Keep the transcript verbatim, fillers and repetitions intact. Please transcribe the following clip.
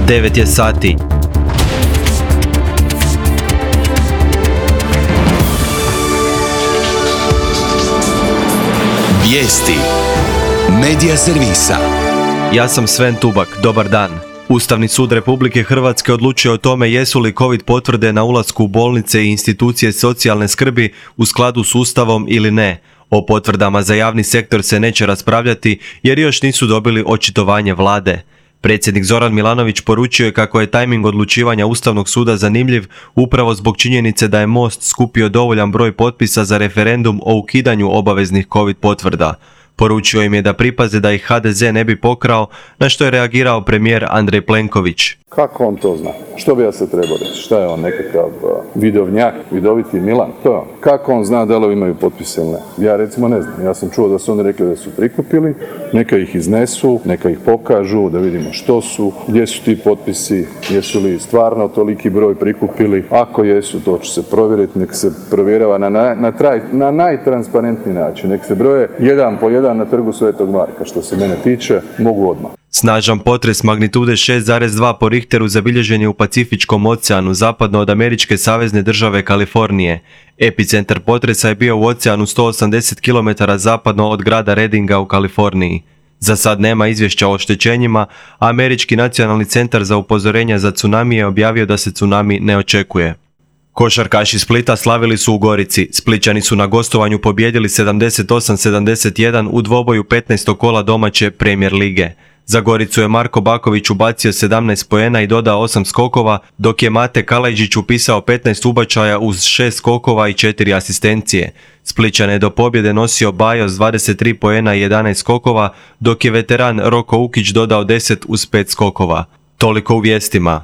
devet je sati. Vijesti Medija servisa. Ja sam Sven Tubak, dobar dan. Ustavni sud Republike Hrvatske odlučio o tome jesu li COVID potvrde na ulasku u bolnice i institucije socijalne skrbi u skladu s Ustavom ili ne. O potvrdama za javni sektor se neće raspravljati jer još nisu dobili očitovanje vlade. Predsjednik Zoran Milanović poručio je kako je tajming odlučivanja Ustavnog suda zanimljiv upravo zbog činjenice da je Most skupio dovoljan broj potpisa za referendum o ukidanju obaveznih COVID potvrda. Poručio im je da pripaze da ih ha de ze ne bi pokrao, na što je reagirao premijer Andrej Plenković. Kako on to zna? Što bi ja se trebao reći? Šta je on, nekakav uh, vidovnjak, vidoviti Milan? To je on. Kako on zna da li imaju potpise ili ne? Ja recimo ne znam. Ja sam čuo da su oni rekli da su prikupili, neka ih iznesu, neka ih pokažu, da vidimo što su, gdje su ti potpisi, jesu li stvarno toliki broj prikupili. Ako jesu, to će se provjeriti, nek se provjerava na, na, na, traj, na najtransparentniji način. Nek se broje jedan po jedan na trgu Svetog Marka. Što se mene tiče, mogu odmah. Snažan potres magnitude šest zarez dva po Richteru zabilježen je u Pacifičkom oceanu zapadno od američke savezne države Kalifornije. Epicentar potresa je bio u oceanu sto osamdeset kilometara zapadno od grada Reddinga u Kaliforniji. Za sad nema izvješća o oštećenjima, a Američki nacionalni centar za upozorenja za tsunami je objavio da se tsunami ne očekuje. Košarkaši Splita slavili su u Gorici. Splićani su na gostovanju pobijedili sedamdeset osam sedamdeset jedan u dvoboju petnaestog kola domaće Premier lige. Za Goricu je Marko Baković ubacio sedamnaest poena i dodao osam skokova, dok je Mate Kalajđić upisao petnaest ubačaja uz šest skokova i četiri asistencije. Splićane je do pobjede nosio Bajo s dvadeset tri poena i jedanaest skokova, dok je veteran Roko Ukić dodao deset uz pet skokova. Toliko u vijestima.